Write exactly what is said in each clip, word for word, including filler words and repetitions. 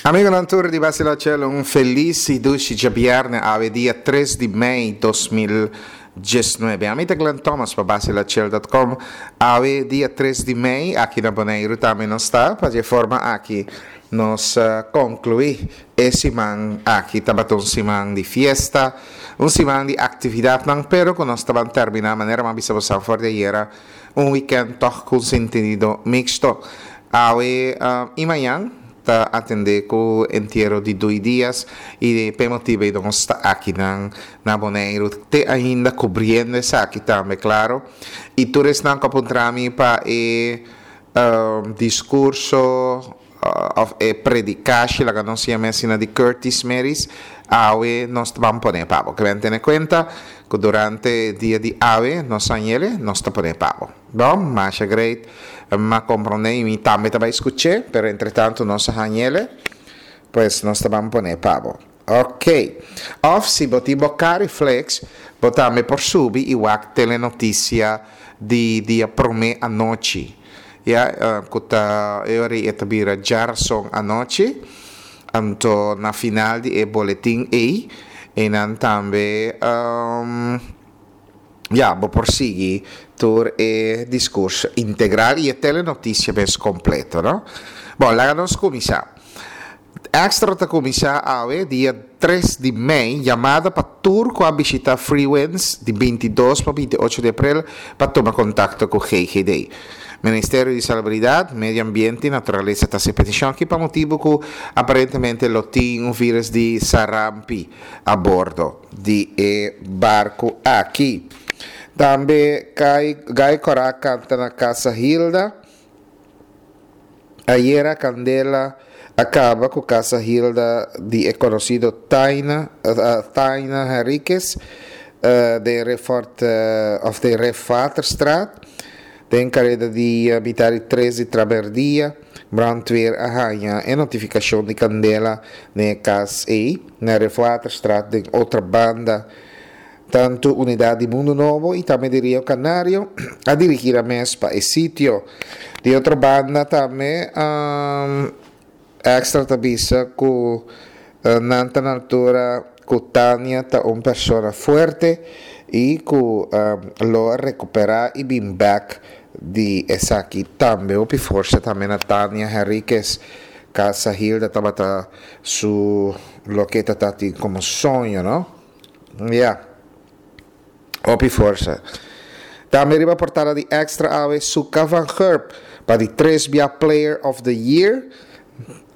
Amigonan tur di Basila Chelo, un felis i dushi djabièrnè, awe dia tres di mei dos mil diesnuebe. Ami ta Glenn Thomas pa basilachel dot com. Awe dia tres di mei, aki na Boneiru tambe nos ta. Pa dje forma aki nos konkluí e siman aki. Tabata un siman di fiesta, un siman di aktividatnan, pero ku nos ta ban terminá manera mi a bisa boso for di ayera, un wikènt tòg ku un sentido miksto. Awe i mañan ta atendé ku entiero di Dui Dias i p'e motibu ei nos ta akinan na Boneiru te ainda kubriendo esaki tambe, klaro. I tur esnan ku a puntra mi pa e diskurso òf e predikashi, laga nos yama asina, di Curtis Meris, awe nos ta ban pone pa bo. Ke ben tene kuenta ku durante dia di awe nos a yele, nos ta pone pa bo. Bon, masha great. M'a komprondé i mi tambe ta bai skuch'é, pero entretantu nos a hañ'ele, pues nos ta ban pone pa bo. Ok. Òf si bo tin bo Cariflex, bo tambe por subi i wak telenotisia di dia promé anochi. Ya, ku ta e ora ei e ta bira djarason anochi. Anto na final di e boletin ei, einan tambe ya, bo por sigui tur e diskurso integral i e telenotisia mes kompleto, no? Bon, laga nos kuminsá. Extra ta kuminsá awe, dia tres di mei, yamada pa tur ku a bishitá Freewinds di binti dos pa binti ocho di aprel pa tuma kontakto ku G G D. Ministerio di Salubridat, Medio Ambiente i Naturalesa ta hasi petishon aki pa motibu ku aparentemente lo tin un vírus di sarampi a bordo di e barku aki. Tambe Gai Kòrá kanta na Casa Hilda. Ayera kandela a kaba ku Casa Hilda di e konosido Taina, Taina Henriquez den Refort òf den Refaterstraat den kareda di mitar di tres di tramerdia. Brandweer a haña e notifikashon di kandela den e kas ei na Refaterstraat den Otrabanda. Tantu unidat di Mundu Nobo i tambe di Rio Canario a dirigí nan mes pa e sitio. Di otro banda tambe Extra ta bisa ku nan ta na altura ku Tania ta un persona fuerte i ku lo a rekuperá i bin bèk di esaki tambe. Hopi forsa tambe na Tania Henriquez. Casa Hilda tabata su loke ta tin komo soño, no? Ya. Hopi forsa. Tambe riba portada di Extra awe, Suka van Gurp pa di tres bia Player of the Year.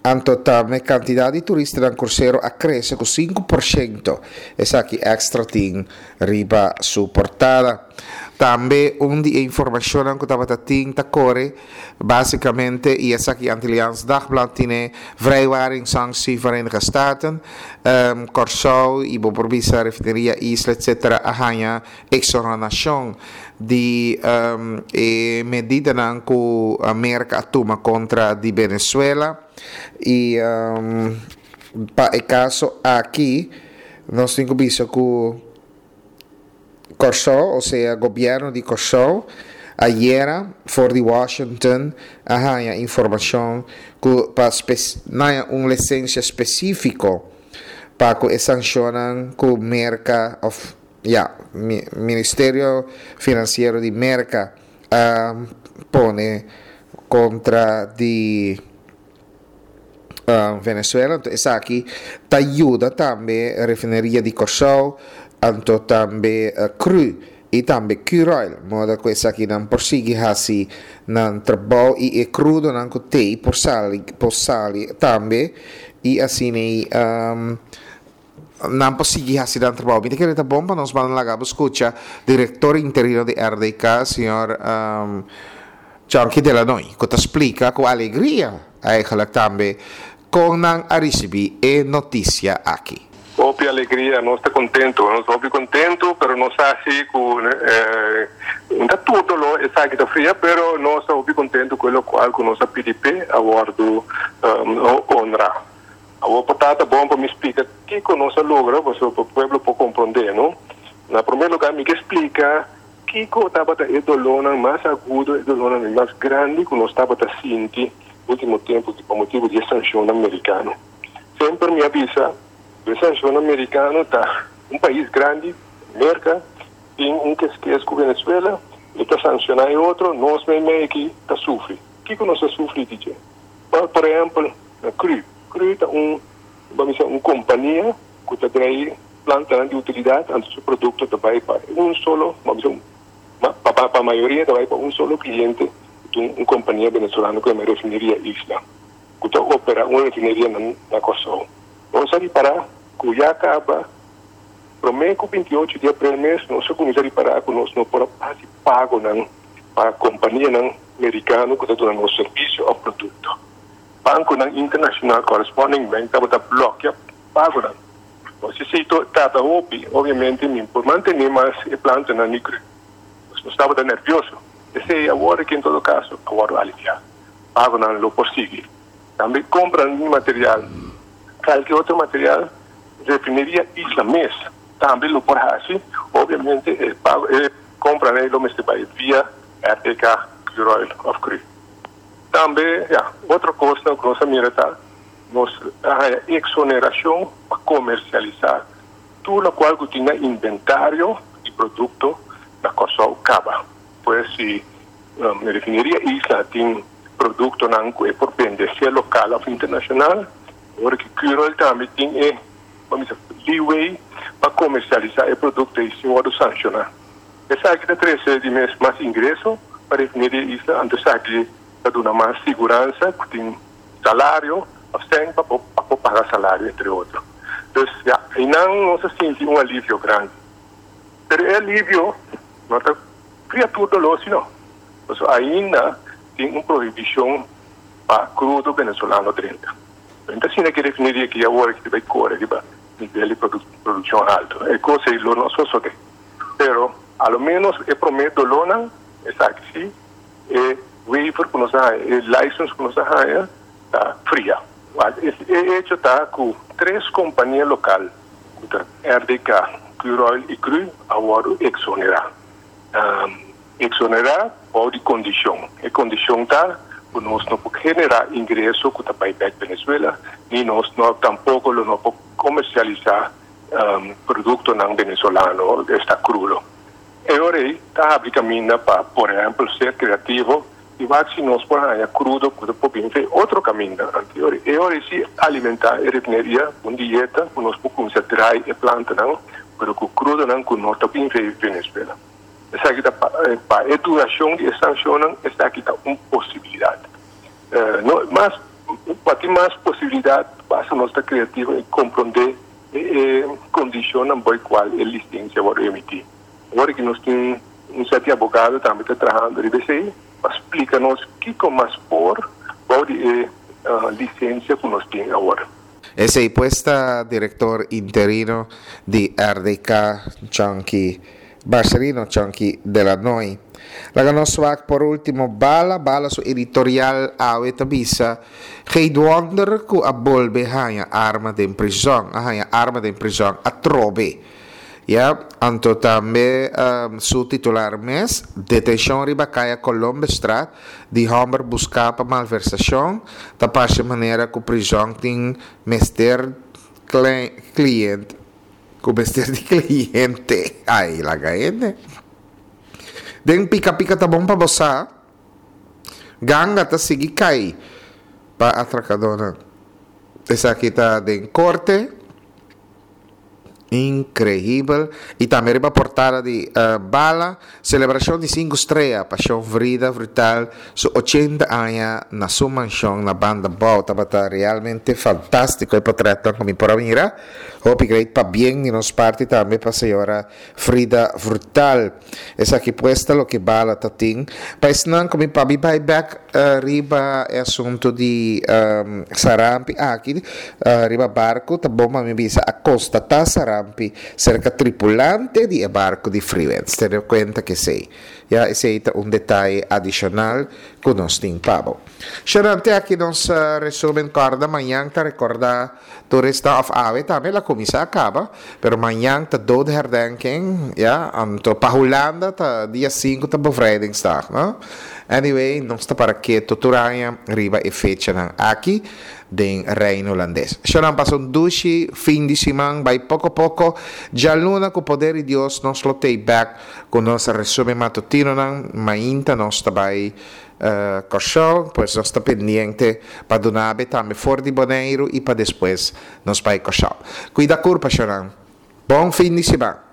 Anto tambe kantidat di turistanan krusero a krese ku sinku porshento. Esaki Extra tin riba su portada. Tambe un di e informashonnan ku tabata tin ta kore básikamente i esaki Antilliaans Dagblad tine: vrijwaringssanctie Verenigde Staten, Kòrsou i bo por bisa Refineria Isla etcetera a haña eksonerashon di e medidanan ku Merka a tuma kontra di Venezuela. I pa e kaso aki nos tin ku bisa ku Kòrsou, osea gobièrnu di Kòrsou, ayera for di Washington a haña informashon ku pa haña un lisensia spesífiko pa ku e sanshonnan ku Merka òf ya Ministerio Finansiero di Merka a pone kontra di Venezuela. Anto esaki ta yuda tambe Refineria di Kòrsou, anto tambe C R U i tambe Curoil, moda ku esakinan por sigui hasi nan trabou i e krudonan ku tei por sali por sali tambe i asina nan por sigui hasi nan trabou. Mi ta kere ta bon pa nos ban laga bo skucha direktor interino di R D K, señor Chonky Delanoy, ku ta splika ku alegria eigenlijk tambe kon nan a risibí e notisia aki. Hopi alegria, nos ta kontentu, nos ta hopi kontentu, pero nos sa si ku eh, no tur doló esaki ta fria, pero nos ta hopi kontentu ku loke ku nos a pidi p'e a wòrdu um, honrá. Awor por ta bon pa mi splika kiko nos a logra, pa e pueblo por komprondé, no? Na promé lugá, mi ke splika kiko tabata e dolónan mas agudo, e dolónan mas grandi ku nos tabata sinti último tempu pa motibu di sanshon merikano. Semper mi a bisa, e sanshon amerikano ta un pais grandi, Merka, tin un ku ku Venezuela, e ta sanshoná e otro, nos mes aki ta sufri. Kiko nos ta sufri, D J? Por ehèmpel, na C R U. C R U ta un, ban bisa, un kompania ku ta traha planta di utilidat, anto su produkto ta bai pa un solo, ban bisa, pa pa mayoria ta bai pa un solo kliente, un, un kompania venezolano ku ta Refineria Isla, ku ta operá un refineria na, na Kòrsou. Nos a ripará ku ya kaba, promé ku binti ocho di aprel mes, nos a kuminsá ripará ku nos no por hasi pagonan pa kompanianan merikano ku ta duna nos servisio òf produkto. Bankonan internashonal, corresponding bank, tabata blòkia pagonan. Nos si tata hopi, obviamente, ni por mantené mas e plantanan micro. Nos tabata nèrvioso. Esei awor ku en todo kaso, awor a aliviá. Pagonan lo por sigui. Tambe kompra di material. Kualke otro material, Refineria Isla mes tambe lo por hasi, obviamente, e pago, e kompra lo mester bai via R D K, Curoil òf C R U. Tambe, ja, otro kos ku nos a mira ta, nos eksonerashon pa komersialisá tur loke ku tin inventario di produkto na Kòrsou kaba. Pues si um, Refineria Isla tin produktonan ku por bende, sea lokal òf internashonal, awor ku Curoil tambe tin e, ban bisa, leeway pa komersialisá e produkto i sin wòrdu sanshoná. Esaki ta trese di mes mas ingreso pa Refineria Isla, anto esaki ta duna mas siguransa, ku tin salario, òf pa pa paga salario, entre otro. Dus ja, einan nos a sinti un alivio grandi. Pero e alivio no ta kria tur doló, sino. Pues ainda tin un prohibishon pa krudo venezolano drenta. Anto, asina ku refineria aki awor ku bai kore riba nivel di produ produkshon haltu. E kos ei lo no sosodé. Pero, a lo menos, e promé dolónan, esaki sí, e waiver ku nos e license ku nos a ta fria. E hecho ta ku tres kompania lokal, R D K, Curoil i C R U, awor eksonerá. Um, eksonerá bou di kondishon. E kondishon ta ku nos no por generá ingreso ku ta bai bèk Venezuela, ni nos no tampoko no por komersialisá um, produktonan venezolano, esta krudo. I awor ta habri kaminda pa, por ehèmpel, ser kreativo i wak si nos por haña krudo ku por bin otro kaminda. I awor si alimentá e refineria un dieta ku nos por kuminsá drai e plantanan, pero ku krudonan ku no ta bin Venezuela. Esaki ta pa e durashon di sanshon, esaki ta un posibilidat. Uh, no, mas pa tin mas posibilidat, basta nos ta kreativo i komprondé e kondishonnan pa kual e lisensia ta emití. Awor ku nos tin un sierto abogado tambe ta trahando riba esei, pa splika nos kiko mas por bou di e uh, lisensia ku nos tin awor. Esei pues ta direktor interino di R D K, Chunky Marcelino Chunky de la Noy. Laga nos wak por último Bala, Bala su editorial awe ta bisa: "Geen wonder ku a bolbe haña arma den prison, a haña arma den prison atrobe." Ja, anto tambe um, su titular mes: "Detenshon riba Kaya Colombestraat di hòmber buská pa malversashon, ta parse manera ku prison tin mester kliente, ku mester di kliente." Ai, laga hende. Den pika pika ta bon pa bo, ganga ta sigui kai pa atrakadónan. Esaki ta den korte. Inkreibel. I tambe riba portada di uh, Bala, selebrashon di sinku strea, pa shon Frida Vrutaal, su ochenta aña na su manshon na Banda Bou. Tabata realmente fantástiko e portrèt ku mi por mira. Hopi great, pabien di nos parti tambe pa señora Frida Vrutaal. Esaki pues ta loke Bala ta tin. Pa esnan ku mi pa mi bai back uh, riba e asuntu di um, sarampi aki, uh, riba barku, ta bon mi bisa a konstatá sarampi serka tripulante di barku di Freewinds. Tene kuenta ku esei. Ja, esei ta un detaye adishonal ku nos tin pa bo. Xerante aki nos uh, resumen. Kòrda, mañan ta rekordá tur esnan òf awe tambe el a kuminsá kaba, pero mañan ta dodenherdenking, ja, anto pa Hulanda ta dia sinku ta bevrijdingsdag, no? Anyway, nos ta para ketu tur aña riba e fechanan aki. Den Reino Hulandes. Shonnan, pasa un dushi fin di siman, bai poko poko. Djaluna, ku poder di Dios, nos lo t'ei bèk ku nos resumen matutinonan. Mainta nos ta bai uh, Kòrsou, pues nos ta pendiente pa duna bo tambe for di Boneiru i pa despues nos bai Kòrsou. Kuida kurpa, shonnan. Bon fin di siman.